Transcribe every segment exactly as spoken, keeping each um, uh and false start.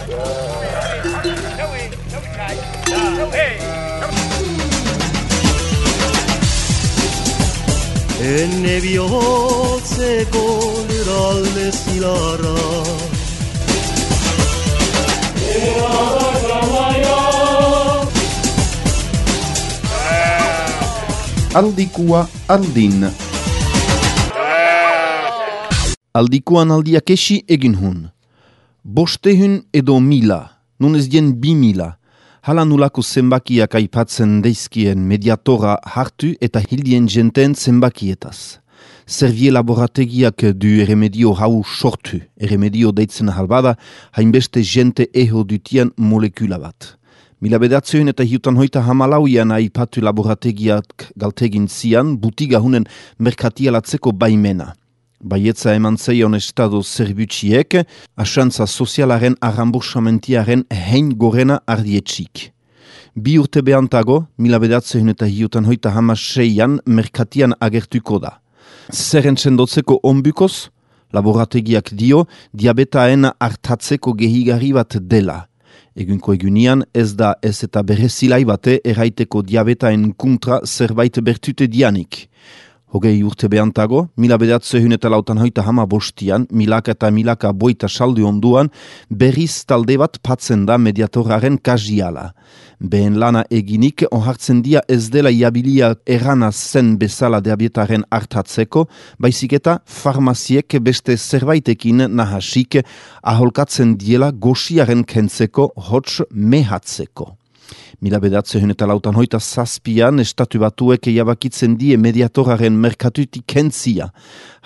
Enne bihotzeko lurralde zilarra Aldikua aldin Aldikuan aldiak esi egin hun. Bostehun edo mila, nun ez dien bi mila. Hala nulako zenbakiak aipatzen deizkien mediatora hartu eta hildien jenten zenbakietaz. Servie laborategiak du erremedio hau sortu, erremedio deitzen halbada, hainbeste jente eho dutian molekula bat. Mila bedatzeunen eta hiutan hoita hamalauian aipatu laborategiak galtegin zian, butiga hunen merkatialatzeko baimena. Baietza eman zeion estado zerbutxiek, asantza sozialaren arrambursamentiaren hein gorena ardietxik. Bi urte behantago, mila bedatzeunen eta hiutan hoita hamaseian merkatian agertuko da. Zerren sendotzeko onbukoz, laborategiak dio, diabetaen hartatzeko gehigarri bat dela. Egunko egunian ez da ez eta berezilai bate erraiteko diabetaen kontra zerbait bertute dianik. Hogei urte behantago, mila bedatzehun eta lautan hoita hama bostian, milaka eta milaka boita saldu onduan, berriz talde bat patzen da mediatoraren kajiala. Behen lana eginik, onhartzen dia ez dela iabilia errana zen bezala diabetaren hartatzeko, baizik eta farmaziek beste zerbaitekin nahasik aholkatzen diela goxiaren kentzeko hots mehatzeko. Mila bedatzehun eta lautan hoita zazpian estatu batuek jabakitzen die mediatoraren merkatutik kentzia.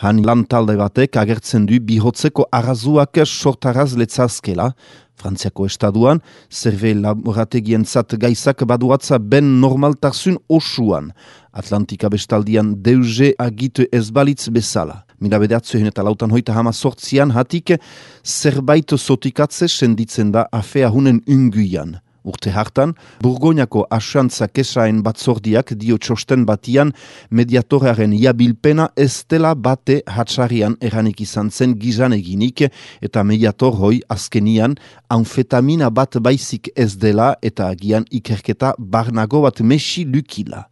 Han lan talde batek agertzen du bihotzeko arazuak sortaraz letzazkela. Frantziako estaduan, zerbe laborategien zat gaizak baduatza ben normaltasun osuan. Atlantika bestaldian deuze agitu ezbalitz bezala. Mila bedatzehun eta lautan hoita hama sortzian hatik zerbait zotikatze senditzen da afea hunen unguian. Urte hartan, Burgoñako asantza kesaen batzordiak dio txosten batian mediatoraren iabilpena ez dela bate hatxarian eranik izan zen gizan eginik eta mediator hoi azkenian amfetamina bat baizik ez dela eta agian ikerketa barnago bat mesi lukila.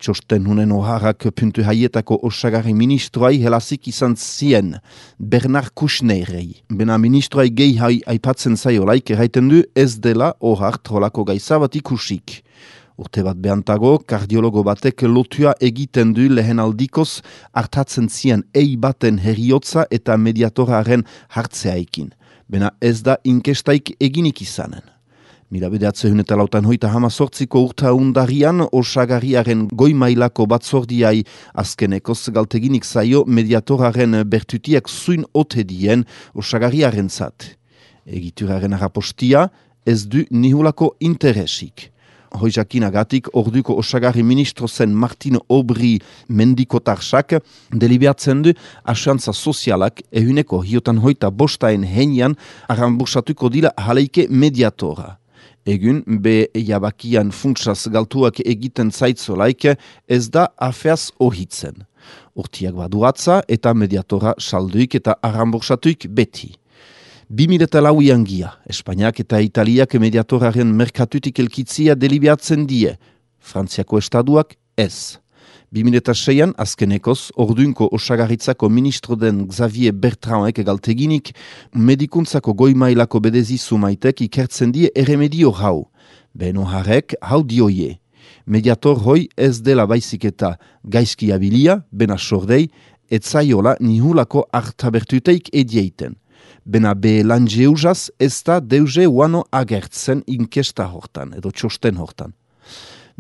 Txosten hunen oharrak puntu haietako osagarri ministroai helazik izan zien, Bernard Kouchnerrei. Bena ministroai gehi hai aipatzen zaiolaik erraiten du ez dela ohar trolako gaiza bat ikusik. Urte bat behantago, kardiologo batek lotua egiten du lehen aldikoz hartatzen zien ei baten heriotza eta mediatoraren hartzeaikin. Bena ez da inkestaik eginik izanen. Mila bedatzehun eta lautan hoita hama sortziko urta undarian osagarriaren goi mailako batzordiai azkenekoz galteginik zaio mediatoraren bertutiak zuin ote dien osagarriaren zat. Egituraren arapostia ez du nihulako interesik. Hoizakinagatik orduko osagarri ministro zen Martin Aubry mendikotarsak delibeatzen du asantza sozialak ehuneko hiotan hoita bostaen henian arrambursatuko dila haleike mediatora. Egun, be jabakian funtsaz galtuak egiten zaitzolaik ez da afeaz ohitzen. Urtiak baduatza eta mediatora salduik eta arrambursatuik beti. Bi mila eta lauian gia, Espainiak eta Italiak mediatoraren merkatutik elkitzia delibeatzen die, Frantziako estaduak ez. Bi mila eta seian, azkenekoz, orduinko osagarritzako ministro den Xavier Bertrandek galteginik, medikuntzako goi-mailako bedezizu maitek ikertzen die erremedio hau. Beno harrek, hau dioie. Mediator hoi ez dela baizik eta gaizki abilia, bena sordei, etzaiola nihulako hartabertuteik edieiten. Bena be lan jeuzaz ez da deuze uano agertzen inkesta hortan, edo txosten hortan.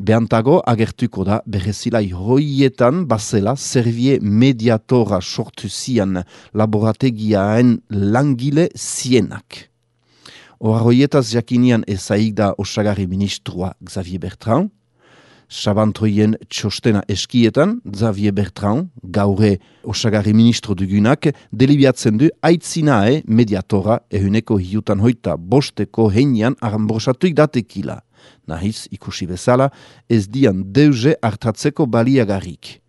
Behantago agertuko da berezilai hoietan bazela Servie mediatora sortu zian laborategiaen langile zienak. Ohar hoietaz jakinian ezaik da osagarri ministrua Xavier Bertrand, sabantoien txostena eskietan, Xavier Bertrand, gaure osagarri ministro dugunak, delibiatzen du aitzinae mediatora ehuneko hiutan hoita bosteko heinian arrambursatuik datekila. Nahiz, ikusi bezala, ez dian deuze hartatzeko baliagarrik.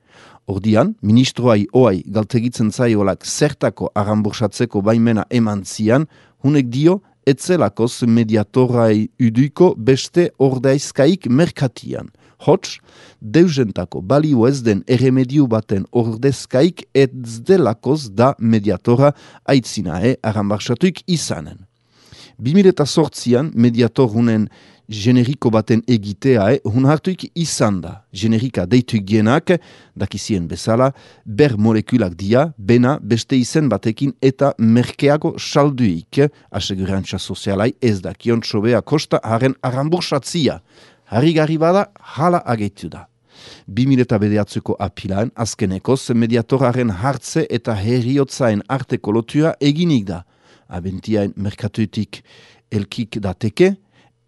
Ordian, ministroai oai galtegitzen zaiolak zertako arrambursatzeko baimena eman zian, hunek dio etzelakoz mediatorai uduiko beste ordaizkaik merkatian. Hots, deusentako balio ez den erremediu baten ordezkaik ez delakoz da mediatora aitzinae arambarsatuik izanen. bi mila zortzian mediatorunen generiko baten egiteae hun hartuik izan da. Generika deituik dienak, dakizien bezala, ber molekulak dia, bena beste izen batekin eta merkeago salduik, asegurantza sozialai ez dakion txobea kosta haren arambursatzia. Harrigarri bada, hala ageitu da. bi mila bederatzuko apilaan, azkenekoz mediatoraren hartze eta heriotzaen arteko lotua eginik da. Abentiain merkatuetik elkik dateke,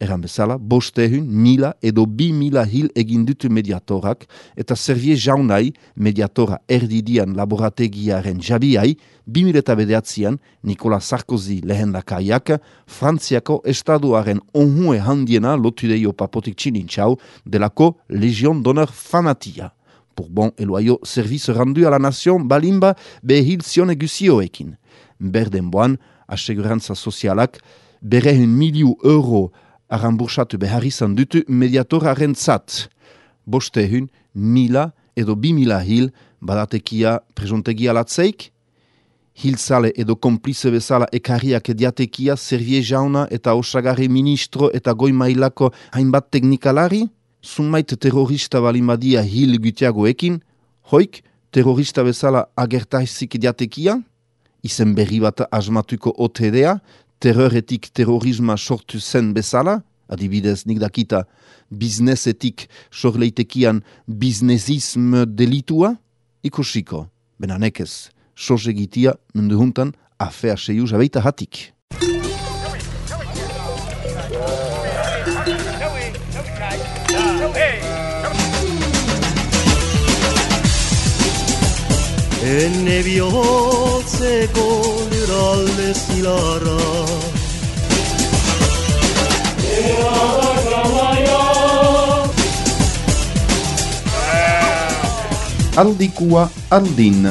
eran bezala, bostehun, mila edo bi mila hil egin dutu mediatorak, eta servie jaunai mediatora erdidian laborategiaren jabiai, bi mila bederatzian Nicolas Sarkozy lehendakaiak Frantziako estaduaren onhue handiena lotudeio papotik txinintxau delako Legion d'Honneur famatia. Bourbon eloaio service rendu a la nation balimba behil zion eguzioekin. Berdenboan, asegurantza sozialak berehun miliu euro arambursatu behar izan dutu mediatoraren zat. Bostehun, mila edo bi mila hil badatekia prejontegia latzeik, hilzale edo komplize bezala ekarriak ediatekia servie jauna eta osagarri ministro eta goi mailako hainbat teknikalari, zumait terrorista balimadia hil gutiagoekin, hoik terrorista bezala agertaizik ediatekia, izen berri bat asmatuko otedea, terroretik terrorisma sortu zen bezala, adibidez nik dakita biznesetik sorleitekian biznesism delitua, ikusiko, benanekez, sosegitia mundu juntan afea seiu jabeita hatik. Enne bihotzeko lurralde zilarra Aldikua aldin.